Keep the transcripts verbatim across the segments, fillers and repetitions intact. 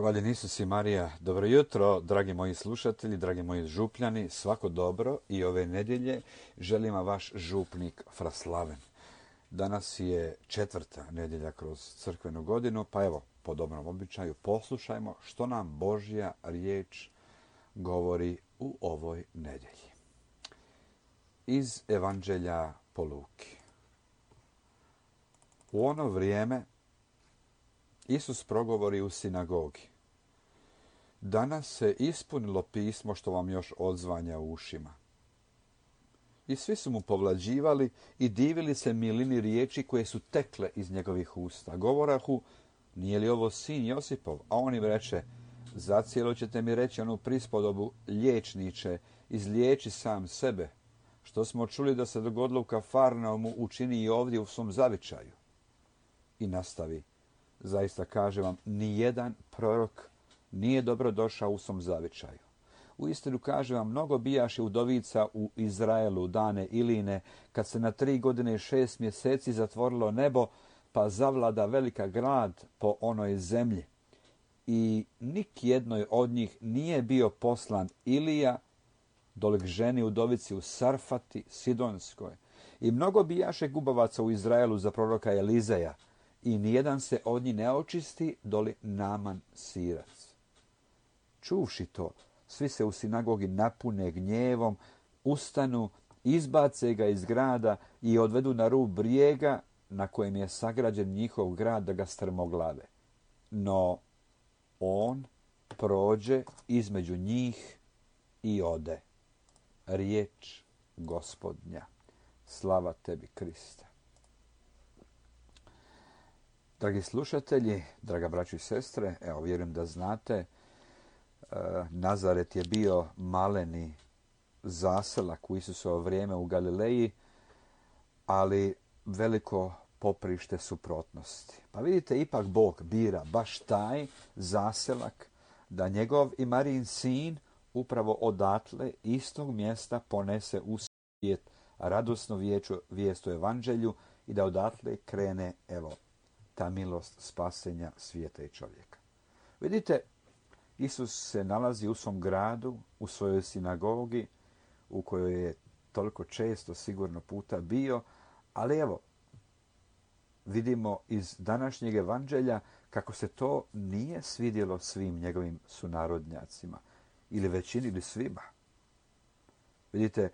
Hvaljen Isus i Marija. Dobro jutro, dragi moji slušatelji, dragi moji župljani, svako dobro i ove nedjelje želim vam vaš župnik Fraslaven. Danas je četvrta nedjelja kroz crkvenu godinu, pa evo, po dobrom običaju, poslušajmo što nam Božja riječ govori u ovoj nedjelji. Iz Evanđelja po Luki. U ono vrijeme Isus progovori u sinagogi. Danas se ispunilo pismo što vam još odzvanja u ušima. I svi su mu povlađivali i divili se milini riječi koje su tekle iz njegovih usta. Govorahu, nije li ovo sin Josipov? A on im reče, zacijelo ćete mi reći onu prispodobu, liječniče, izliječi sam sebe. Što smo čuli da se dogodilo u Kafarnaumu, učini i ovdje u svom zavičaju. I nastavi. Zaista kažem vam, nijedan prorok nije dobro došao u svom zavičaju. Uistinu kažem vam, mnogo bijaše udovica u Izraelu dane Iline, kad se na tri godine i šest mjeseci zatvorilo nebo, pa zavlada velika glad po onoj zemlji. I nik jednoj od njih nije bio poslan Ilija, dolik ženi udovici u Sarfati, Sidonskoj. I mnogo bijaše gubavaca u Izraelu za proroka Elizeja, i nijedan se od njih ne očisti, doli Naman Sirac. Čuvši to, svi se u sinagogi napune gnjevom, ustanu, izbace ga iz grada i odvedu na rub brijega na kojem je sagrađen njihov grad da ga strmoglave. No on prođe između njih i ode. Riječ Gospodnja. Slava tebi, Kriste. Dragi slušatelji, draga braćo i sestre, evo vjerujem da znate, Nazaret je bio maleni zaselak u Isusovo vrijeme u Galileji, ali veliko poprište suprotnosti. Pa vidite, ipak Bog bira baš taj zaselak da njegov i Marijin sin upravo odatle istog mjesta ponese u svijet radosnu vijest o evanđelju i da odatle krene, evo, ta milost spasenja svijeta i čovjeka. Vidite, Isus se nalazi u svom gradu, u svojoj sinagogi, u kojoj je toliko često sigurno puta bio, ali evo, vidimo iz današnjeg evanđelja kako se to nije svidjelo svim njegovim sunarodnjacima, ili većini ili svima. Vidite,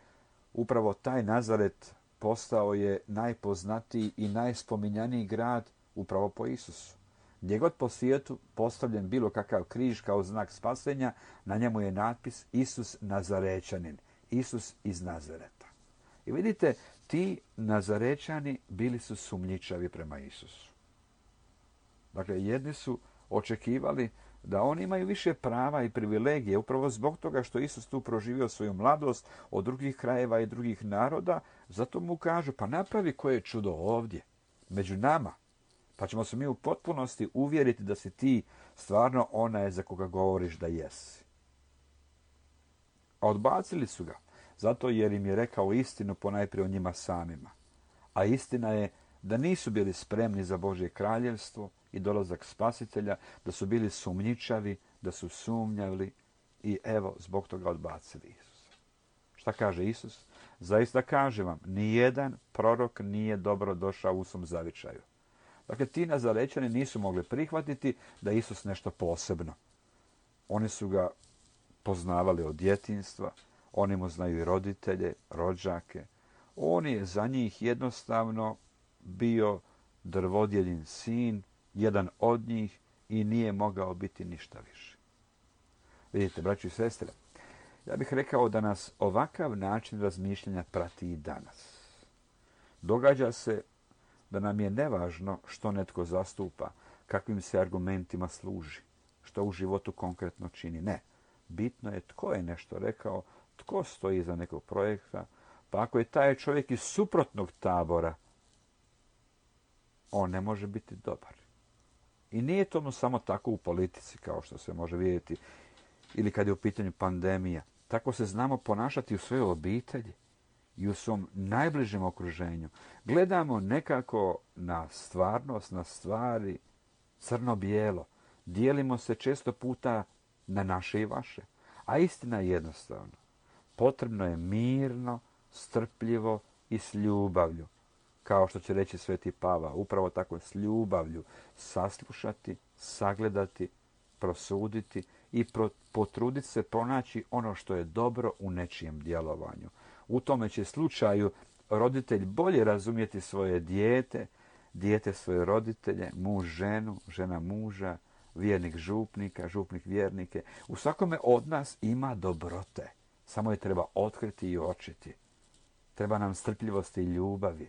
upravo taj Nazaret postao je najpoznatiji i najspominjaniji grad upravo po Isusu. Gdje god po svijetu postavljen bilo kakav križ kao znak spasenja, na njemu je natpis Isus Nazarećanin, Isus iz Nazareta. I vidite, ti Nazarećani bili su sumnjičavi prema Isusu. Dakle, jedni su očekivali da oni imaju više prava i privilegije, upravo zbog toga što Isus tu proživio svoju mladost od drugih krajeva i drugih naroda, zato mu kažu, pa napravi koje čudo ovdje, među nama. Pa ćemo se mi u potpunosti uvjeriti da si ti stvarno onaj za koga govoriš da jesi. A odbacili su ga, zato jer im je rekao istinu ponajprije o njima samima. A istina je da nisu bili spremni za Božje kraljevstvo i dolazak spasitelja, da su bili sumnjičavi, da su sumnjali i evo zbog toga odbacili Isusa. Šta kaže Isus? Zaista kažem vam, nijedan prorok nije dobro došao u svom zavičaju. Dakle, ti Nazarećani nisu mogli prihvatiti da je Isus nešto posebno. Oni su ga poznavali od djetinjstva, oni mu znaju i roditelje, rođake. On je za njih jednostavno bio drvodjelin sin, jedan od njih i nije mogao biti ništa više. Vidite, braći i sestre, ja bih rekao da nas ovakav način razmišljanja prati i danas. Događa se da nam je nevažno što netko zastupa, kakvim se argumentima služi, što u životu konkretno čini. Ne. Bitno je tko je nešto rekao, tko stoji iza nekog projekta, pa ako je taj čovjek iz suprotnog tabora, on ne može biti dobar. I nije to samo tako u politici, kao što se može vidjeti, ili kad je u pitanju pandemija. Tako se znamo ponašati u svojoj obitelji i u svom najbližem okruženju. Gledamo nekako na stvarnost, na stvari crno-bijelo. Dijelimo se često puta na naše i vaše. A istina je jednostavna. Potrebno je mirno, strpljivo i s ljubavlju. Kao što će reći Sveti Pavao, upravo tako s ljubavlju saslušati, sagledati, prosuditi i pro, potruditi se pronaći ono što je dobro u nečijem djelovanju. U tome će slučaju roditelj bolje razumjeti svoje dijete, dijete svoje roditelje, muž ženu, žena muža, vjernik župnika, župnik vjernike. U svakome od nas ima dobrote. Samo je treba otkriti i očiti. Treba nam strpljivosti i ljubavi.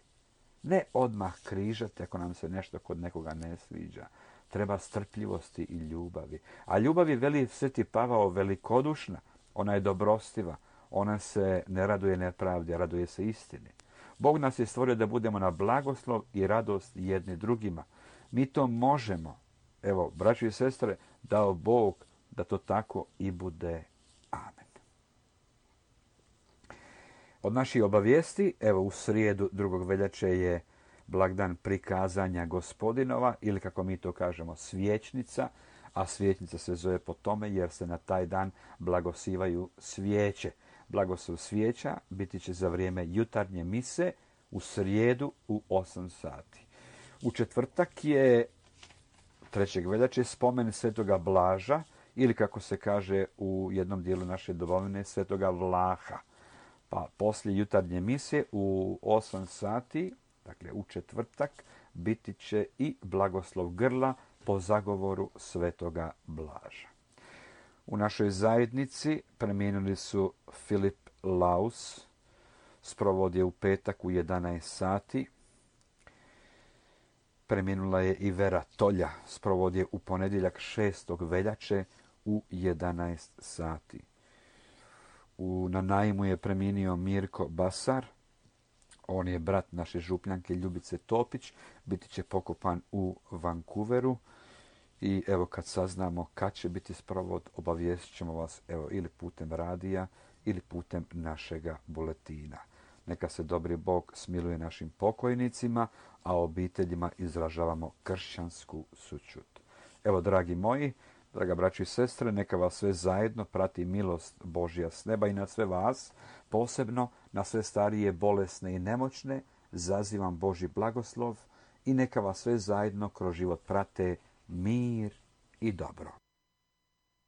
Ne odmah križati ako nam se nešto kod nekoga ne sviđa. Treba strpljivosti i ljubavi. A ljubav je, veli Sveti Pavao, velikodušna. Ona je dobrostiva. Ona se ne raduje nepravdi, raduje se istini. Bog nas je stvorio da budemo na blagoslov i radost jedni drugima. Mi to možemo. Evo, braćo i sestre, dao Bog da to tako i bude. Amen. Od naših obavijesti, evo u srijedu drugog veljače je blagdan prikazanja Gospodinova, ili kako mi to kažemo svječnica, a svječnica se zove po tome jer se na taj dan blagosivaju svijeće. Blagoslov svijeća biti će za vrijeme jutarnje mise u srijedu u osam sati. U četvrtak je trećeg veljače spomen Svetoga Blaža, ili kako se kaže u jednom dijelu naše domovine, Svetoga Vlaha. Pa poslije jutarnje mise u osam sati, dakle u četvrtak, biti će i blagoslov grla po zagovoru Svetoga Blaža. U našoj zajednici preminuli su Filip Laus, sprovod je u petak u jedanaest sati. Preminula je i Vera Tolja, sprovod je u ponedjeljak šestog veljače u jedanaest sati. U, na Najmu je preminio Mirko Basar, on je brat naše župljanke Ljubice Topić, biti će pokopan u Vancouveru. I evo kad saznamo kad će biti sprovod, obavijestit ćemo vas evo, ili putem radija ili putem našega buletina. Neka se dobri Bog smiluje našim pokojnicima, a obiteljima izražavamo kršćansku sućut. Evo, dragi moji, draga braćo i sestre, neka vas sve zajedno prati milost Božja s neba i na sve vas, posebno na sve starije, bolesne i nemoćne, zazivam Božji blagoslov i neka vas sve zajedno kroz život prate mir i dobro.